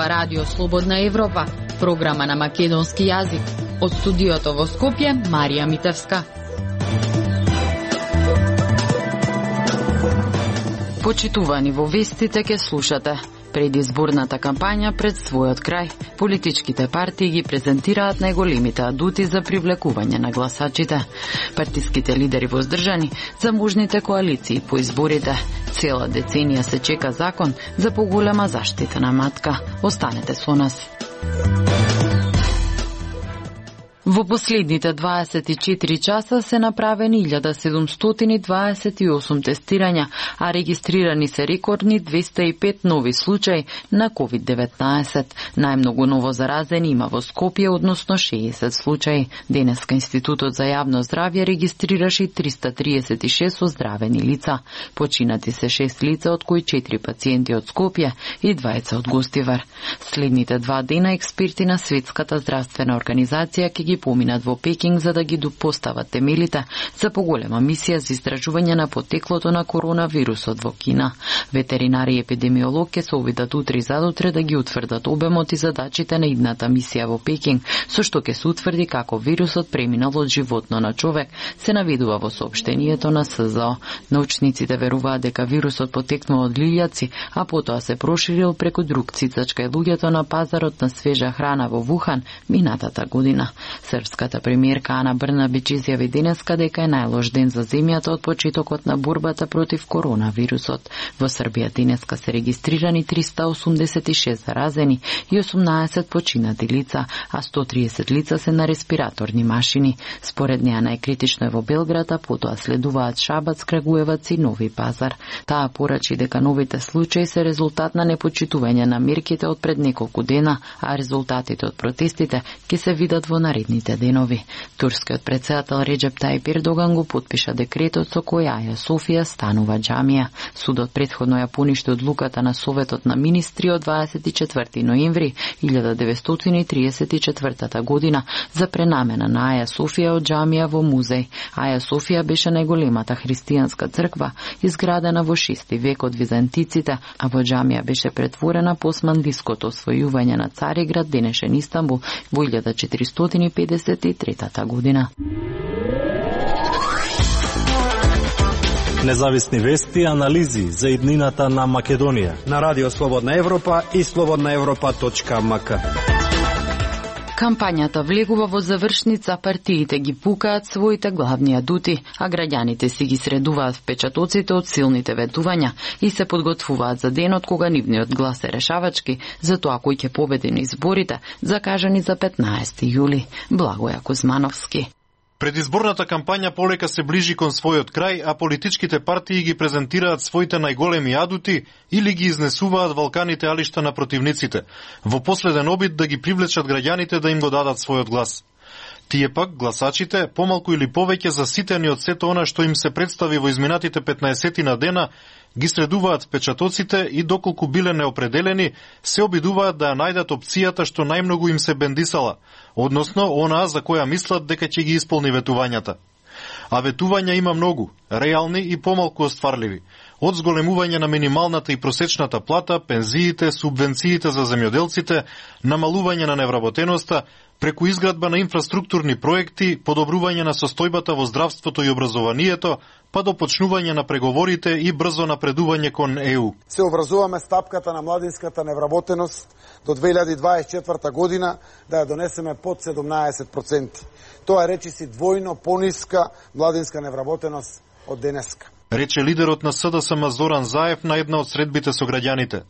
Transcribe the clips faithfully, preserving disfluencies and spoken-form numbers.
Ова радио Слободна Европа, програма на македонски јазик. Од студиото во Скопје, Марија Митевска. Почитувани во вестите ке слушате. Предизборната кампања пред својот крај, политичките партии ги презентираат најголемите адути за привлекување на гласачите. Партиските лидери воздржани за можните коалиции по изборите. Цела деценија се чека закон за поголема заштита на матка. Останете со нас. Во последните дваесет и четири часа се направени илјада седумстотини дваесет и осум тестирања, а регистрирани се рекордни двеста и пет нови случаи на ковид деветнаесет. Најмногу ново заразени има во Скопје, односно шеесет случаи. Денеска Институтот за јавно здравје регистрираше триста триесет и шест оздравени лица. Починати се шест лица, од кои четири пациенти од Скопје и двајца од Гостивар. Следните два дена експерти на Светската здравствена организација ќе ги поминат во Пекинг за да ги допостават темелите за поголема мисија за истражување на потеклото на коронавирусот во Кина. Ветеринари и епидемиолог ќе се обидат утре и задутре да ги утврдат обемот и задачите на идната мисија во Пекинг, со што ќе се утврди како вирусот преминал од животно на човек, се наведува во соопштението на С З О. Научниците веруваат дека вирусот потекнал од лилјаци, а потоа се проширил преку друг цицач кај луѓето на пазарот на свежа храна во Вухан минатата година. Српската премиерка Ана Брнабич изјави денеска дека е најлош ден за земјата од почетокот на борбата против коронавирусот. Во Србија денеска се регистрирани триста осумдесет и шест заразени и осумнаесет починати лица, а сто триесет лица се на респираторни машини. Според неа најкритично е во Белград, а потоа следуваат Шабац, Крагуевац и Нови Пазар. Таа порачи дека новите случаи се резултат на непочитување на мерките од пред неколку дена, а резултатите од протестите ќе се видат во наредните денови. Турскиот претседател Реджеп Тајип Ердоган го потпиша декретот со кој Аја Софија станува џамија. Судот претходно ја поништи одлуката на Советот на министри од дваесет и четврти ноември илјада деветстотини триесет и четвртата година за пренамена на Аја Софија од џамија во музеј. Аја Софија беше најголемата христијанска црква изградена во шести век од византиците, а во џамија беше претворена по османлиското освојување на Цариград, денешен Истанбул, во илјада четиристотини педесет и третата година. Независни вести и анализи за иднината на Македонија на Радио Слободна Европа и слободна европа точка ем ка. Кампањата влегува во завршница, партиите ги пукаат своите главни адути, а граѓаните си ги средуваат впечатоците од силните ветувања и се подготвуваат за денот кога нивниот глас е решавачки за тоа кој ќе победи на изборите, закажани за петнаесети јули. Благоја Кузмановски. Предизборната кампања полека се ближи кон својот крај, а политичките партии ги презентираат своите најголеми адути или ги изнесуваат валканите алишта на противниците, во последен обид да ги привлечат граѓаните да им го дадат својот глас. Тие пак, гласачите, помалку или повеќе заситени од сето она што им се представи во изминатите петнаесет на дена, ги средуваат впечатоците и доколку биле неопределени, се обидуваат да ја најдат опцијата што најмногу им се бендисала, односно онаа за која мислат дека ќе ги исполни ветувањата. А ветувања има многу, реални и помалку остварливи. Од зголемување на минималната и просечната плата, пензиите, субвенциите за земјоделците, намалување на невработеноста, преку изградба на инфраструктурни проекти, подобрување на состојбата во здравството и образованието, па до почнување на преговорите и брзо напредување кон Е У. Се образуваме стапката на младинската невработеност до две илјади дваесет и четврта година да ја донесеме под седумнаесет проценти. Тоа речиси двојно пониска младинска невработеност од денеска. Рече лидерот на С Д С М Зоран Заев на една од средбите со граѓаните.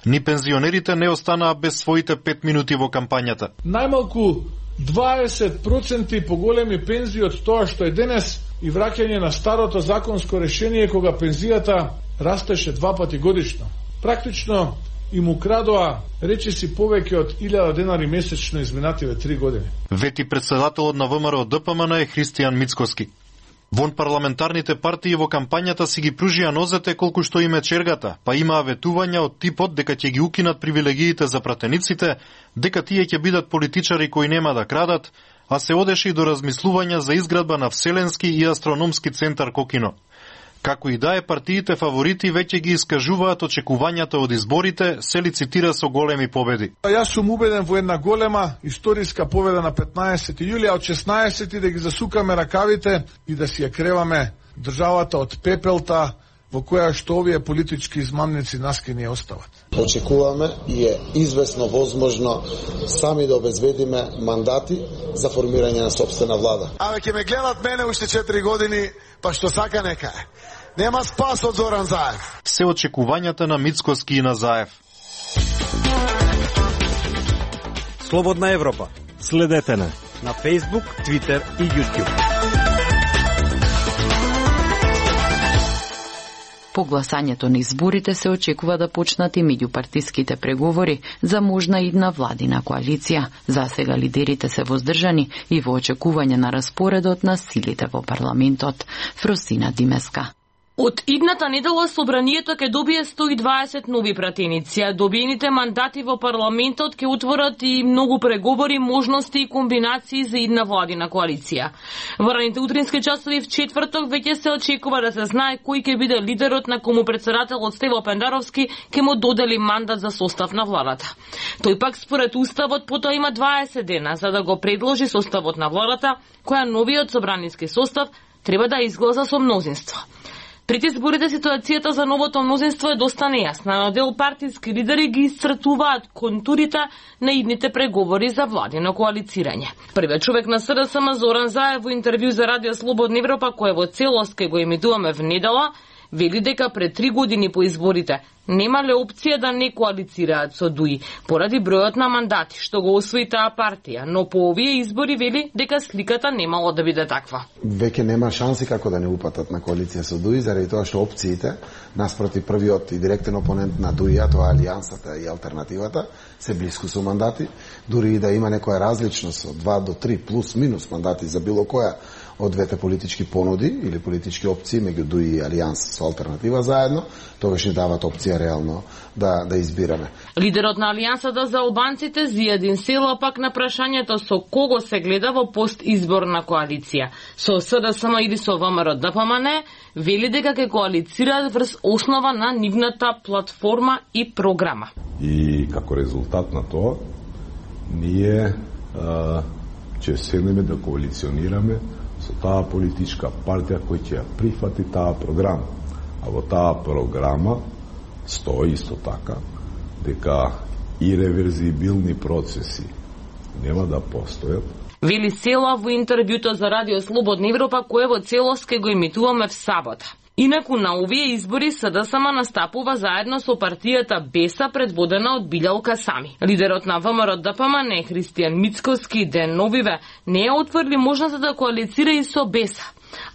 Ни пензионерите не останаа без своите пет минути во кампањата. Најмалку дваесет проценти поголеми пензии од тоа што е денес и враќање на старото законско решение кога пензијата растеше два пати годишно. Практично им украдоа речиси повеќе од илјада денари месечно изминативе три години. Вети председателот на В М Р Д П М Н е Христијан Мицкоски. Вон парламентарните партии во кампањата си ги пружија нозете колку што им е чергата, па имаа ветувања од типот дека ќе ги укинат привилегиите за пратениците, дека тие ќе бидат политичари кои нема да крадат, а се одеше и до размислувања за изградба на Вселенски и астрономски центар Кокино. Како и да е, партиите фаворити веќе ги искажуваат очекувањата од изборите, се лицитира со големи победи. Јас сум убеден во една голема историска победа на петнаесети јули, а од шеснаесети да ги засукаме ракавите и да си ја креваме државата од пепелта во која што овие политички измамници нас ке ни остават. Очекуваме и е извесно возможно сами да обезбедиме мандати за формирање на сопствена влада. Абе, ќе ме гледат мене уште четири години, па што сака нека е. Нема спас од Зоран Заев. Се очекувањата на Мицкоски и на Заев. Слободна Европа. Следете не на Facebook, Twitter и YouTube. По гласањето на изборите се очекува да почнат и меѓупартиските преговори за можна идна владина коалиција. За сега лидерите се воздржани и во очекување на распоредот на силите во парламентот. Фросина Димеска. Од идната недела собранието ќе добие сто и дваесет нови пратеници, а добиените мандати во парламентот ќе отворат и многу преговори, можности и комбинации за идна владина коалиција. Во раните утрински часови в четврток веќе се очекува да се знае кој ќе биде лидерот на кому председателот Стево Пендаровски ќе му додели мандат за состав на владата. Тој пак според уставот потоа има дваесет дена за да го предложи составот на владата, која новиот собраниски состав треба да изгласа со мнозинство. Пред изборите ситуацијата за новото мнозинство е доста нејасна, но дел партиски лидери ги исцртуваат контурите на идните преговори за владино коалицирање. Првиот човек на СДСМ Зоран Заев во интервју за Радио Слободна Европа, кој во целост ке го емитуваме в недела, вели дека пред три години по изборите немале опција да не коалицираат со ДУИ поради бројот на мандати што го освои таа партија, но по овие избори вели дека сликата немало да биде таква. Веќе нема шанси како да не упатат на коалиција со ДУИ заради тоа што опциите наспроти првиот и директен опонент на ДУИ, тоа Алијансата и алтернативата, се блиску со мандати, дури и да има некоја различност од два до три плюс минус мандати за било која од двете политички понуди или политички опции меѓу ДУИ и Алијанс со алтернатива заедно, тогаш ни дават опција реално да да избираме. Лидерот на Алијансата за албанците Зијадин Села пак на прашањето со кого се гледа во постизборна коалиција, со СДСМ или со ВМРО-ДПМН, вели дека ќе коалицираат врз основа на нивната платформа и програма. И како резултат на тоа, ние а, ќе седнеме да коалиционираме со таа политичка партија која ќе ја прифати таа програма. А во таа програма стои исто така дека иреверзибилни процеси нема да постојат. Вели Села во интервјуто за Радио Слободна Европа, кое во целост ке го имитуваме в сабота. Инаку на овие избори СДСМ настапува заедно со партијата Беса предводена од Билјал Касами. Лидерот на ВМРО-ДПМН Христијан Мицкоски ден новиве не ја отврли можноста да коалицира и со Беса,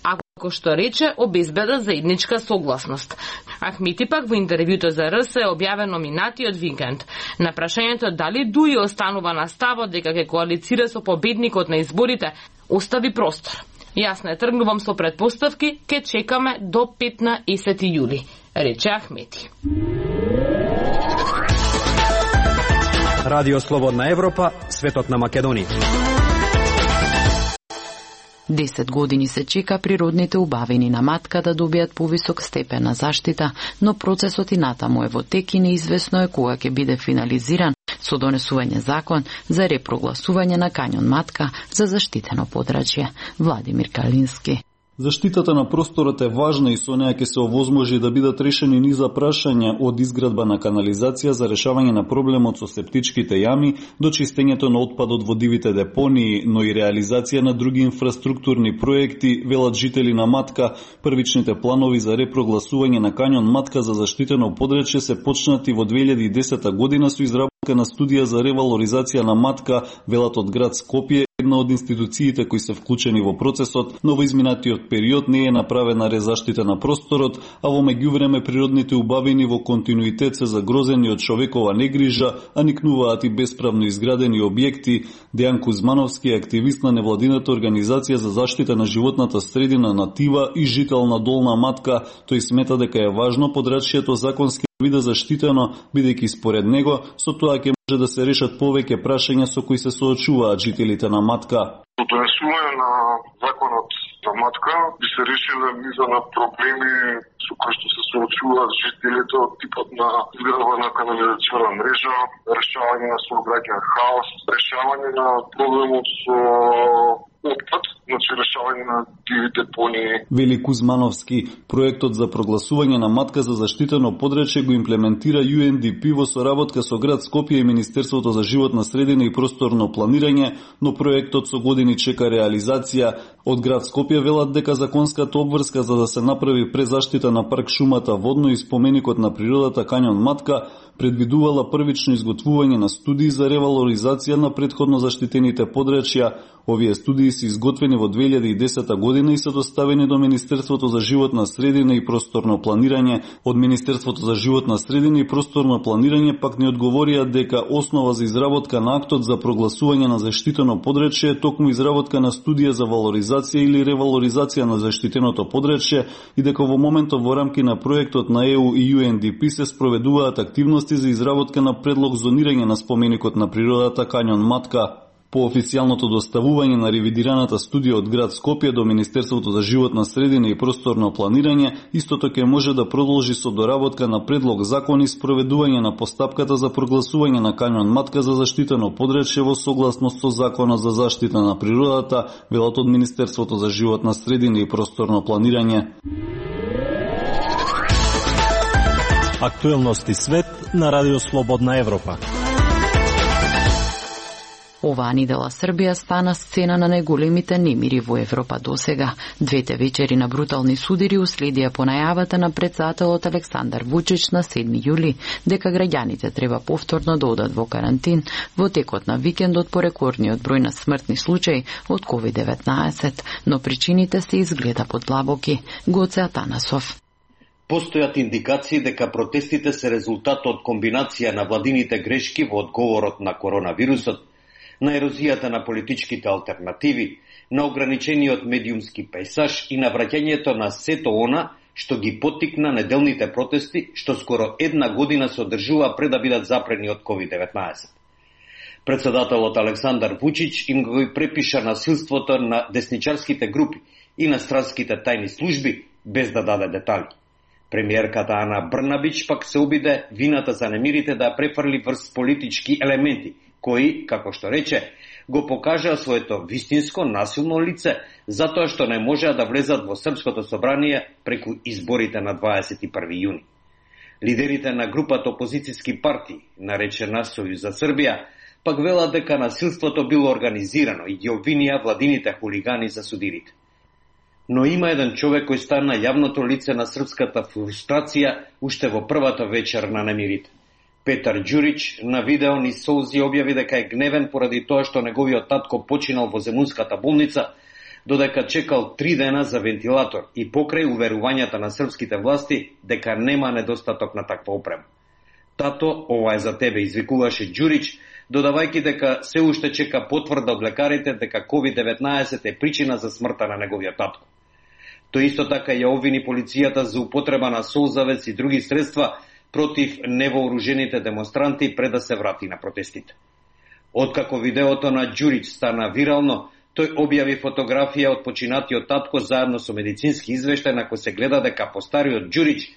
ако што рече обезбеда заедничка согласност. Ахмети пак во интервјуто за РС е објавено минатиот викенд. На прашањето дали ДУИ останува на ставот дека ќе коалицира со победникот на изборите, остави простор. Јас не тргнувам со предпоставки, ке чекаме до петнаесети јули, рече Ахмети. Радио Слободна Европа, светот на Македонија. Десет години се чека природните убавини на матка да добијат повисок степен на заштита, но процесот и натаму е во тек и неизвестно е кога ќе биде финализиран со донесување закон за репрогласување на кањон Матка за заштитено подрачје. Владимир Калински. Заштитата на просторот е важна и со неја ќе се овозможи да бидат решени низа прашања од изградба на канализација за решавање на проблемот со септичките јами до чистењето на отпадот во дивите депонии, но и реализација на други инфраструктурни проекти, велат жители на Матка. Првичните планови за репрогласување на кањон Матка за заштитено подрачје се почнати во две илјади и десета година со изработка на студија за ревалоризација на Матка, велат од град Скопје, една од институциите кои се вклучени во процесот, но во изминатиот период не е направена резаштита на просторот, а во меѓувреме природните убавини во континуитет се загрозени од човекова негрижа, а никнуваат и бесправно изградени објекти. Дејан Кузмановски е активист на невладината организација за заштита на животната средина Натива и жител на Долна Матка. Тој смета дека е важно подрачјето законски биде заштитено, бидејќи според него со тоа ќе може да се решат повеќе прашања со кои се соочуваат жителите на Матка. Донесување на законот за општината Матка би се решиле низа на проблеми со кои што се соочуваат жителите од типот на изградба на канализациона мрежа, решавање на сообраќајен хаос, решавање на проблемот со отпад, значи решавање на диви депонии. Вели Кузмановски, проектот за прогласување на Матка за заштитено подречје го имплементира Ю Ен Ди Пи во соработка со град Скопје и Министерството за животна средина и просторно планирање, но проектот со години чека реализација. Од град Скопје велат дека законската обврска за да се направи презаштита на парк шумата Водно и споменикот на природата Кањон Матка предвидувала првично изготвување на студии за ревалоризација на претходно заштитените подречја. Овие студии се изготвени во две илјади и десета година и се доставени до Министерството за животна средина и просторно планирање. Од Министерството за животна средина и просторно планирање пак не одговорија дека основа за изработка на актот за прогласување на заштитено подречје е токму изработка на студија за валоризација или ревалоризација на заштитеното подречје и дека во моментот во рамки на проектот на Е У и Ю Ен Ди Пи се спроведуваат активности за изработка на предлог зонирање на споменикот на природата Кањон Матка. По официјалното доставување на ревидираната студија од град Скопје до Министерството за животна средина и просторно планирање, истото ќе може да продолжи со доработка на предлог закон и спроведување на постапката за прогласување на Кањон Матка за заштитено подречје во согласност со Законот за заштита на природата, велат од Министерството за животна средина и просторно планирање. Актуелности свет на Радио Слободна Европа. Оваа недела Србија стана сцена на најголемите немири во Европа досега. Двете вечери на брутални судири уследија по најавата на претседателот Александар Вучич на седми јули дека граѓаните треба повторно да одат во карантин во текот на викендот по рекордниот број на смртни случаи од ковид деветнаесет, но причините се изгледа подлабоки. Гоце Атанасов. Постојат индикации дека протестите се резултат од комбинација на владините грешки во одговорот на коронавирусот, на ерозијата на политичките алтернативи, на ограничениот медиумски пејсаж и на враќањето на сето она што ги поттикна неделните протести што скоро една година се одржува пред да бидат запрени од ковид деветнаесет. Председателот Александар Вучич им го препиша насилството на десничарските групи и на странските тајни служби без да даде детали. Премиерката Ана Брнабич пак се обиде вината за немирите да ја префрли врз политички елементи, кои, како што рече, го покажаа своето вистинско насилно лице, затоа што не можеа да влезат во Српското собрание преку изборите на дваесет и први јуни. Лидерите на групата опозицијски партии, наречена Сојуз за Србија, пак велат дека насилството било организирано и ги обвинија владините хулигани за судирите. Но има еден човек кој стана јавното лице на српската фрустрација уште во првата вечер на немирите. Петар Ѓурич на видео ни солзи објави дека е гневен поради тоа што неговиот татко починал во земунската болница, додека чекал три дена за вентилатор и покрај уверувањата на српските власти дека нема недостаток на таква опрема. Тато, ова е за тебе, извикуваше Ѓурич, додавајќи дека се уште чека потврда од лекарите дека ковид деветнаесет е причина за смртта на неговиот татко. Тој исто така ја обвини полицијата за употреба на солзавец и други средства против невооружените демонстранти пред да се врати на протестите. Откако видеото на Ѓурич стана вирално, тој објави фотографија од починатиот татко заедно со медицински извештај на кој се гледа дека постариот Ѓурич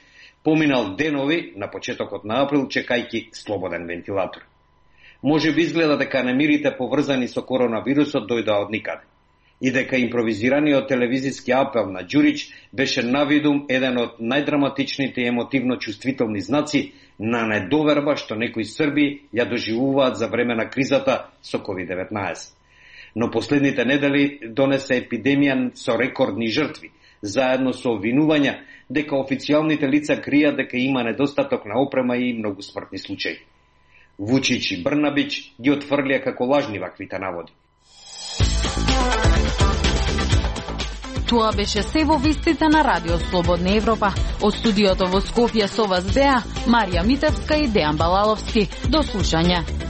поминал денови на почетокот на април чекајќи слободен вентилатор. Може би изгледа дека немирите поврзани со коронавирусот дојдоа од никаде и дека импровизираниот телевизиски апел на Ѓурич беше навидум еден од најдраматичните и емотивно чувствителни знаци на недоверба што некои Срби ја доживуваат за време на кризата со ковид деветнаесет. Но последните недели донесе епидемија со рекордни жртви, заедно со обвинувања дека официјалните лица кријат дека има недостаток на опрема и многу смртни случаи. Вучич и Брнабич ги отфрлија како лажни ваквите наводи. Тоа беше се во вестите на Радио Слободна Европа. Од студиото во Скопје со вас беа Марија Митевска и Дејан Балаловски. До слушање.